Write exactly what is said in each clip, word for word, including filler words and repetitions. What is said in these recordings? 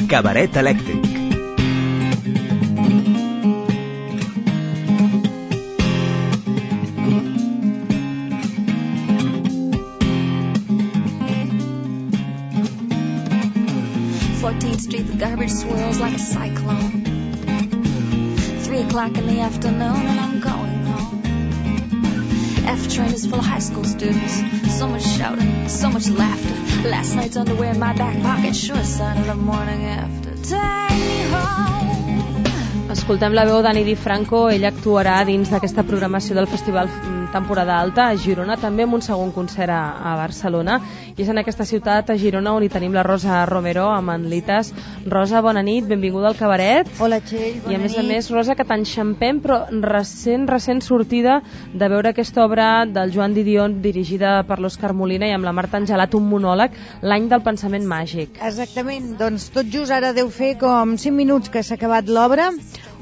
Cabaret elèctric. fourteenth Street, the garbage swirls like a cyclone. Three o'clock in the afternoon and I'm going home. The F train is full of high school students. So much shouting, so much laughter. Last night's underwear in my back pocket sure sounded the morning after. Take me home. Escoltem la veu d'Anny DiFranco. Ella actuarà dins d'aquesta programació del Festival Temporada Alta a Girona, també amb un segon concert a, a Barcelona, i és en aquesta ciutat, a Girona, on hi tenim la Rosa Romero amb en Lites. Rosa, bona nit, benvinguda al cabaret. Hola, Txell, bona nit. I a més a més, Rosa, que t'enxampem, però recent, recent sortida de veure aquesta obra del Joan Didion dirigida per l'Òscar Molina i amb la Marta Angelat, un monòleg, L'any del pensament màgic. Exactament, doncs tot just ara deu fer com cinc minuts que s'ha acabat l'obra.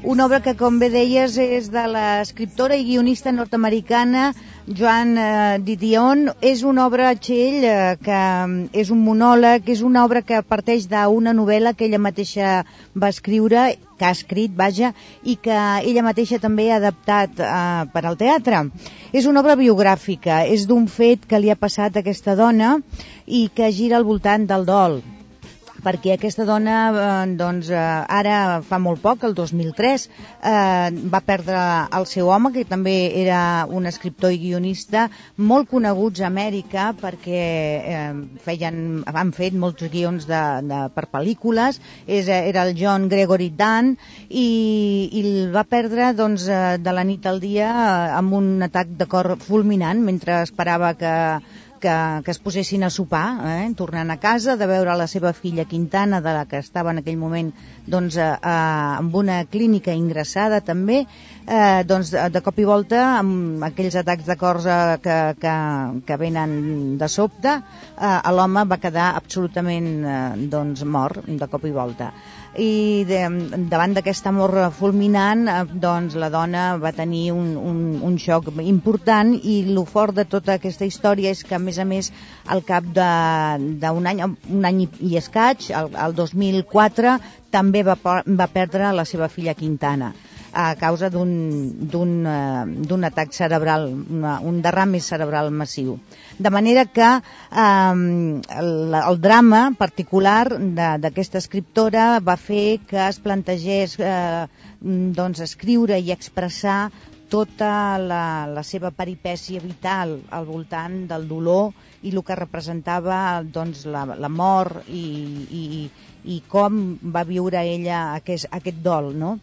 Una obra que, com bé deies, és de l'escriptora i guionista nord-americana Joan eh, Didion. És una obra, Txell, eh, que és un monòleg, és una obra que parteix d'una novel·la que ella mateixa va escriure, que ha escrit, vaja, i que ella mateixa també ha adaptat eh, per al teatre. És una obra biogràfica, és d'un fet que li ha passat a aquesta dona i que gira al voltant del dol, perquè aquesta dona, eh, doncs, eh, ara fa molt poc, el dos mil tres, eh, va perdre el seu home, que també era un escriptor i guionista molt coneguts a Amèrica, perquè eh, feien, han fet molts guions de, de, per pel·lícules. És, era el John Gregory Dunn, i, i el va perdre, doncs, eh, de la nit al dia eh, amb un atac de cor fulminant, mentre esperava que Que, que es posessin a sopar, eh? Tornant a casa, de veure la seva filla Quintana, de la que estava en aquell moment, doncs, eh, amb una clínica ingressada també, eh, doncs, de cop i volta, amb aquells atacs de cor eh, que, que, que venen de sobte, eh, l'home va quedar absolutament eh, doncs, mort de cop i volta. I de, davant d'aquesta mort fulminant, eh, doncs la dona va tenir un, un, un xoc important, i el fort de tota aquesta història és que, a més a més, al cap d'un any, un any i escaig, el, el dos mil quatre, també va, va perdre la seva filla Quintana a causa d'un d'un atac cerebral, una, un derrame cerebral massiu. De manera que eh, el, el drama particular d'aquesta escriptora va fer que es plantegés eh, doncs, escriure i expressar tota la, la seva peripècia vital al voltant del dolor i el que representava, doncs, la, la mort i, i, i com va viure ella aquest, aquest dol, no?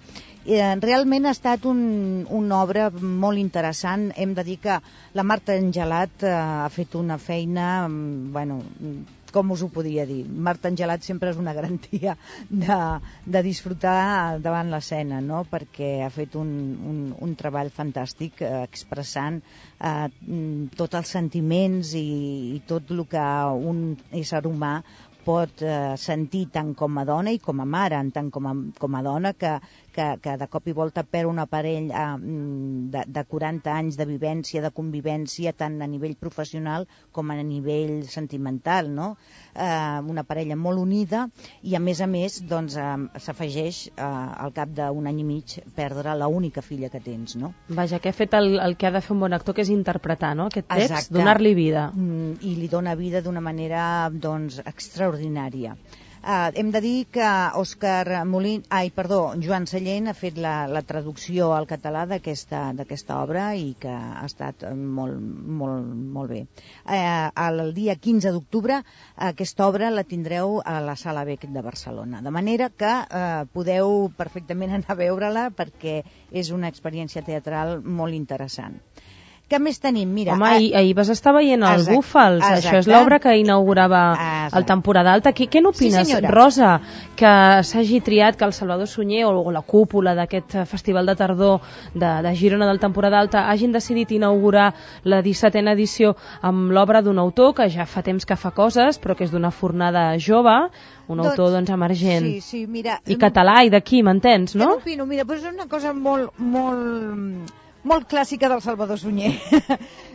Eh, realment ha estat un, una obra molt interessant. Hem de dir que la Marta Angelat eh, ha fet una feina, bueno, com us ho podria dir? Marta Angelat sempre és una garantia de, de disfrutar davant l'escena, no? Perquè ha fet un, un, un treball fantàstic eh, expressant eh, tots els sentiments i, i tot el que un ésser humà pot eh, sentir tant com a dona i com a mare, tant com a, com a dona que, que, que de cop i volta perd un aparell eh, de, de quaranta anys de vivència, de convivència, tant a nivell professional com a nivell sentimental, no? Eh, una parella molt unida, i a més a més doncs, eh, s'afegeix eh, al cap d'un any i mig perdre l'única filla que tens, no? Vaja, que ha fet el, el que ha de fer un bon actor, que és interpretar, no?, aquest text. Exacte. Donar-li vida. Mm, i li dona vida d'una manera, doncs, extraordinària. Uh, hem de dir que Òscar Molin, ai, perdó, Joan Sallent ha fet la, la traducció al català d'aquesta d'aquesta obra i que ha estat molt, molt, molt bé. Uh, el dia quinze d'octubre aquesta obra la tindreu a la Sala Bec de Barcelona, de manera que uh, podeu perfectament anar a veure-la perquè és una experiència teatral molt interessant. Què més tenim? Mira, Home, ahir, ahir vas estar veient el exacte, Búfals, exacte. Això és l'obra que inaugurava Exacte. el Temporada Alta. Què, què n'opines, sí, Rosa, que s'hagi triat que el Salvador Sunyer o, o la cúpula d'aquest festival de tardor de, de Girona del Temporada Alta hagin decidit inaugurar la dissetena edició amb l'obra d'un autor que ja fa temps que fa coses, però que és d'una fornada jove, un doncs, autor doncs emergent, sí, sí, mira, i català, i d'aquí, m'entens, no? Què n'opino? Mira, però és una cosa molt, molt, molt clàssica del Salvador Sunyer.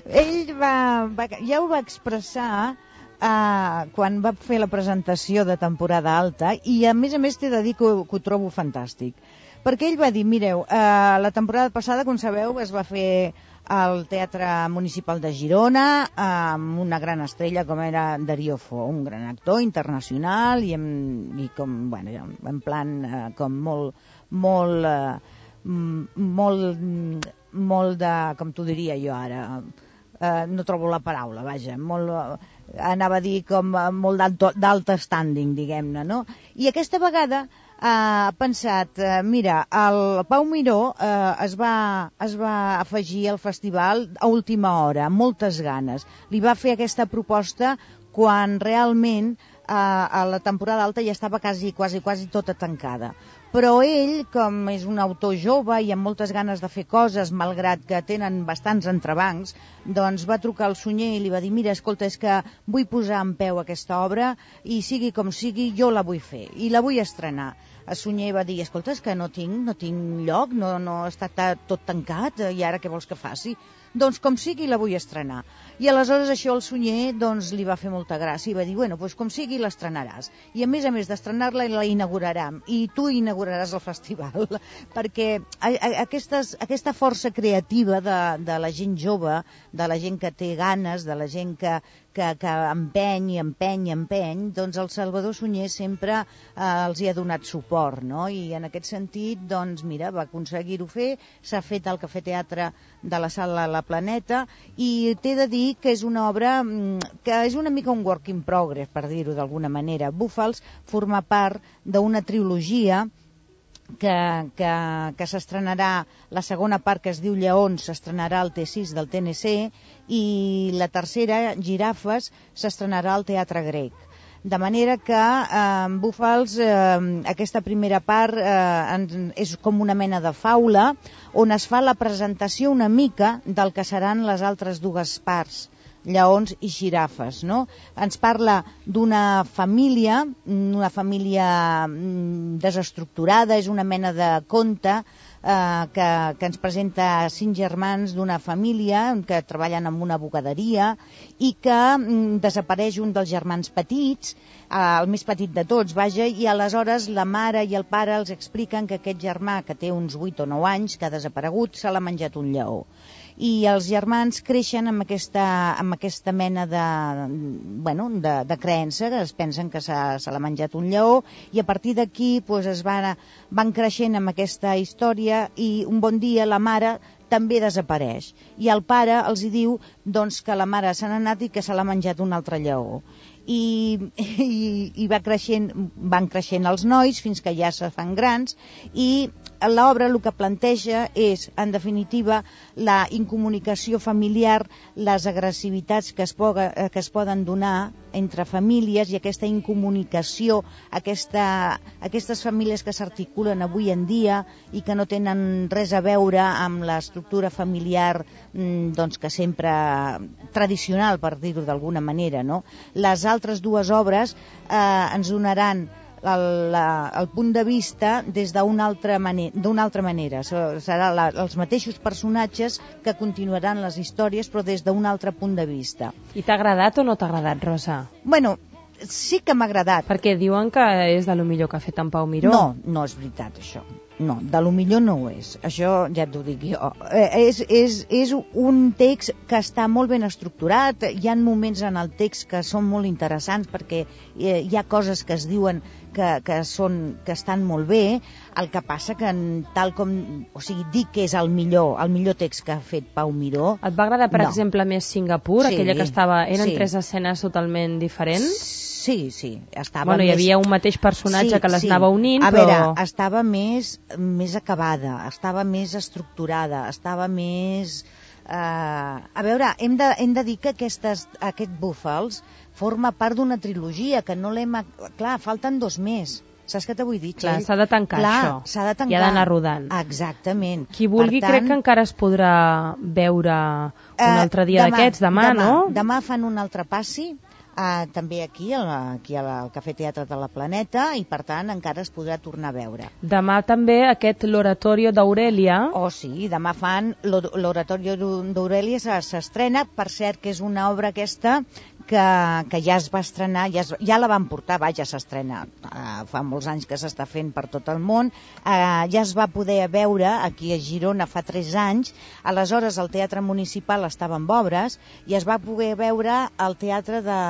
Ell va, va, ja ho va expressar uh, quan va fer la presentació de temporada alta, i a més a més t'he de dir que, que ho trobo fantàstic, perquè ell va dir, mireu, uh, la temporada passada, com sabeu, es va fer al Teatre Municipal de Girona amb una gran estrella com era Darío Fo, un gran actor internacional i, amb, i com, bueno, en plan uh, com molt molt uh, molt molt de, com t'ho diria jo ara, uh, no trobo la paraula, vaja, molt, uh, anava a dir com uh, molt d'alt standing, diguem-ne, no? I aquesta vegada ha uh, pensat, uh, mira, el Pau Miró uh, es, va, es va afegir al festival a última hora, amb moltes ganes. Li va fer aquesta proposta quan realment uh, a la temporada alta ja estava quasi, quasi, quasi tota tancada. Però ell, com és un autor jove i amb moltes ganes de fer coses, malgrat que tenen bastants entrebancs, doncs va trucar al Sunyer i li va dir, mira, escolta, és que vull posar en peu aquesta obra i sigui com sigui, jo la vull fer i la vull estrenar. El Sunyer va dir, escolta, és que no tinc, no tinc lloc, no, no està tot tancat, i ara què vols que faci? Doncs com sigui la vull estrenar. I aleshores això el Sunyer doncs, li va fer molta gràcia i va dir, bueno, doncs com sigui l'estrenaràs. I a més a més d'estrenar-la la inaugurarem i tu inauguraràs el festival, perquè a, a, aquestes, aquesta força creativa de, de la gent jove, de la gent que té ganes, de la gent que, que, que empeny i empeny i empeny, doncs el Salvador Sunyer sempre eh, els hi ha donat suport, no? I en aquest sentit, doncs mira, va aconseguir-ho fer, s'ha fet el Cafè Teatre de la Sala La Planeta i t'he de dir que és una obra que és una mica un work in progress, per dir-ho d'alguna manera. Búfals forma part d'una trilogia que, que, que s'estrenarà, la segona part que es diu Lleons s'estrenarà al T sis del T N C i la tercera, Girafes, s'estrenarà al Teatre Grec. De manera que eh, Búfals, eh, aquesta primera part eh, és com una mena de faula on es fa la presentació una mica del que seran les altres dues parts, Lleons i Girafes, no? Ens parla d'una família, una família desestructurada, és una mena de conte eh, que, que ens presenta cinc germans d'una família que treballen en una bugaderia i que mm, desapareix un dels germans petits, eh, el més petit de tots, vaja, i aleshores la mare i el pare els expliquen que aquest germà, que té uns vuit o nou anys, que ha desaparegut, se l'ha menjat un lleó. I els germans creixen amb aquesta, amb aquesta mena de, bueno, de, de creença, que es pensen que se l'ha menjat un lleó, i a partir d'aquí pues, es van, van creixent amb aquesta història i un bon dia la mare també desapareix. I el pare els hi diu doncs, que la mare se n'ha anat i que se l'ha menjat un altre lleó. I, i, i va creixent, van creixent els nois fins que ja se fan grans i l'obra el que planteja és, en definitiva, la incomunicació familiar, les agressivitats que es, poga, que es poden donar entre famílies i aquesta incomunicació, aquesta, aquestes famílies que s'articulen avui en dia i que no tenen res a veure amb l'estructura familiar doncs, que sempre tradicional, per dir-ho d'alguna manera, no? Les altres dues obres eh, ens donaran El, la, el punt de vista des d'una altra, mane altra manera. Serà la, els mateixos personatges que continuaran les històries, però des d'un altre punt de vista. I t'ha agradat o no t'ha agradat, Rosa? Bueno, sí que m'ha agradat. Perquè diuen que és de lo millor que ha fet en Pau Miró. No, no és veritat, això. No, de lo millor no ho és. Això ja t'ho dic jo. Eh, és, és, és un text que està molt ben estructurat. Hi ha moments en el text que són molt interessants perquè eh, hi ha coses que es diuen que, que, són, que estan molt bé. El que passa que tal com... O sigui, dic que és el millor, el millor text que ha fet Pau Miró. Et va agradar, per no. exemple, més Singapur? Sí, aquella que estava... Eren sí. tres escenes totalment diferents? Sí, sí. Estava bueno, més... hi havia un mateix personatge sí, que les sí. anava unint, a però... A veure, estava més, més acabada, estava més estructurada, estava més... Uh, a veure, hem de, hem de dir que aquestes, aquest Búfals forma part d'una trilogia, que no l'hem... Clar, falten dos més. Saps què t'ho vull dir, Clar, s'ha de tancar Clar, això. S'ha de tancar. I ha d'anar rodant. Exactament. Qui vulgui, tant, crec que encara es podrà veure un altre dia uh, d'aquests, demà, demà, no? Demà fan un altre passi, uh, també aquí, al, aquí al Cafè Teatre de la Planeta, i per tant encara es podrà tornar a veure. Demà també aquest l'Oratorio d'Aurèlia. Oh sí, demà fan l'Oratorio d'Aurèlia, s'estrena, per cert que és una obra aquesta que, que ja es va estrenar, ja, es, ja la van portar, va, ja s'estrena, uh, fa molts anys que s'està fent per tot el món, uh, ja es va poder veure aquí a Girona fa tres anys, aleshores el Teatre Municipal estava en obres i es va poder veure al Teatre de,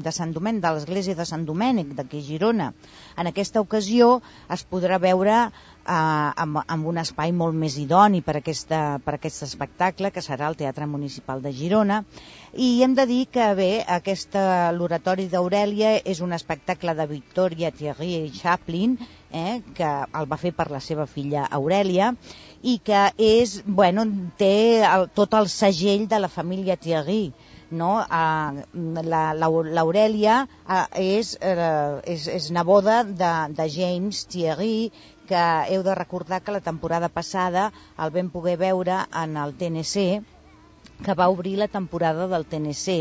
de Sant Domènec, de l'Església de Sant Domènec, d'aquí a Girona. En aquesta ocasió es podrà veure Uh, amb, amb un espai molt més idoni per, aquesta, per aquest espectacle, que serà el Teatre Municipal de Girona. I hem de dir que bé, aquesta, l'Oratori d'Aurèlia és un espectacle de Victoria Thierry Chaplin, eh, que el va fer per la seva filla Aurèlia, i que és, bueno, té el, tot el segell de la família Thierry. No? Uh, l'Aurèlia uh, és, uh, és, és neboda de, de James Thierry, que heu de recordar que la temporada passada el vam poder veure en el T N C, que va obrir la temporada del T N C,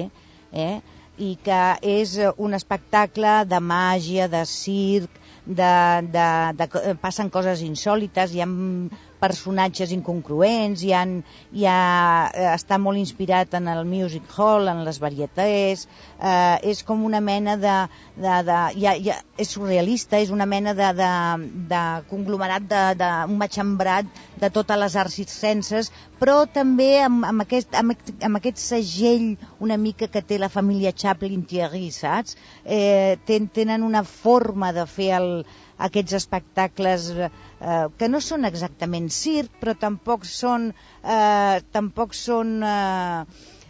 eh? I que és un espectacle de màgia, de circ, de, de, de, passen coses insòlites, hi ha personatges incongruents, hi ha, hi ha, està molt inspirat en el music hall, en les varietés, eh, és com una mena de... de, de hi ha, hi ha, és surrealista, és una mena de, de, de conglomerat, de, de, un matxembrat de totes les arts circenses, però també amb, amb, aquest, amb, amb aquest segell una mica que té la família Chaplin-Thierry, saps? Eh, ten, tenen una forma de fer el, aquests espectacles eh, que no són exactament circ, però tampoc són, eh, tampoc són eh,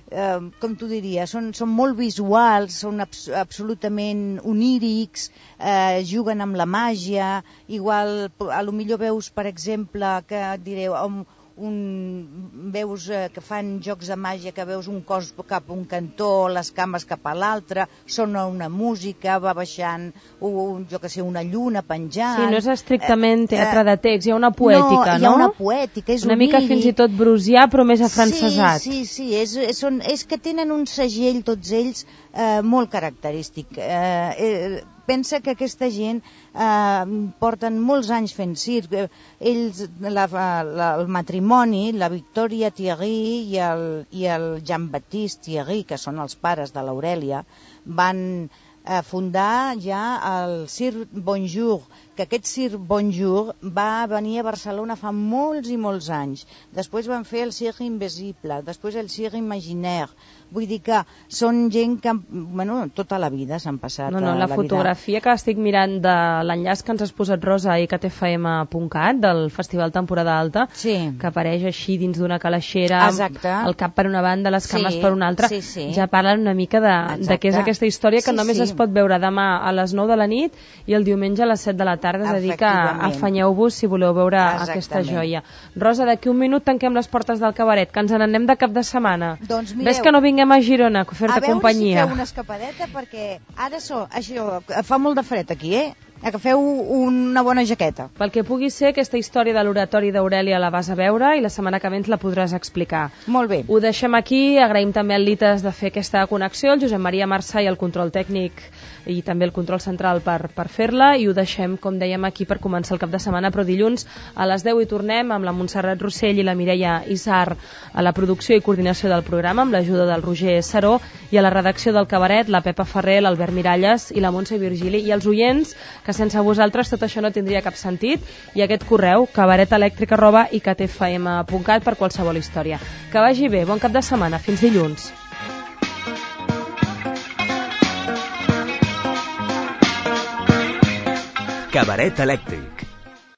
eh, com t'ho diria, són, són molt visuals, són abs absolutament onírics, eh, juguen amb la màgia, igual a lo millor veus, per exemple, que direu, um, un, veus eh, que fan jocs de màgia, que veus un cos cap a un cantó, les cames cap a l'altre, sona una música, va baixant un, jo que sé, una lluna penjant. Sí, no és estrictament teatre de text, hi ha una poètica, no? No, hi ha una poètica, és una mica fins i tot brusià, però més afrancesat. Sí, sí, sí, és, és, són, és que tenen un segell, tots ells, eh, molt característic. Eh, eh, pensa que aquesta gent eh, porten molts anys fent circ. Ells, la, la, el matrimoni, la Victoria Thierry i el, i el Jean-Baptiste Thierry, que són els pares de l'Aurèlia, van eh, fundar ja el Cirque Bonjour, que aquest Cirque Bonjour va venir a Barcelona fa molts i molts anys. Després van fer el Cirque Invisible, després el Cirque Imaginaire. Vull dir que són gent que, bueno, tota la vida s'han passat. No, no, la, la fotografia vida. Que estic mirant de l'enllaç que ens has posat, Rosa, a i c t f m punt cat, del Festival Temporada Alta, sí, que apareix així dins d'una calaixera, exacte, el cap per una banda, les cames sí, per una altra, sí, sí, ja parlen una mica de, de què és aquesta història, que sí, només sí, es pot veure demà a les nou de la nit i el diumenge a les set de la tarda, és a dir que afanyeu-vos si voleu veure aquesta joia. Rosa, d'aquí un minut tanquem les portes del cabaret, que ens n'anem de cap de setmana. Doncs mireu, ves que no vinguem a Girona a fer-te companyia. A veure si feu una escapadeta, perquè ara so, això, fa molt de fred aquí, eh? Agafeu una bona jaqueta. Pel que pugui ser, aquesta història de l'oratori d'Aurèlia la vas a veure i la setmana que ve ens la podràs explicar. Molt bé. Ho deixem aquí, agraïm també al Lites de fer aquesta connexió, el Josep Maria Marçà i el control tècnic i també el control central per, per fer-la, i ho deixem, com dèiem, aquí per començar el cap de setmana, però dilluns a les deu hi tornem amb la Montserrat Rossell i la Mireia Isar a la producció i coordinació del programa, amb l'ajuda del Roger Saró, i a la redacció del Cabaret, la Pepa Ferrer, l'Albert Miralles i la Montse Virgili, i els oients, que sense vosaltres tot això no tindria cap sentit, i aquest correu, cabaretelèctric arroba i c t f m punt cat, per qualsevol història. Que vagi bé, bon cap de setmana, fins dilluns. Cabaret elèctric.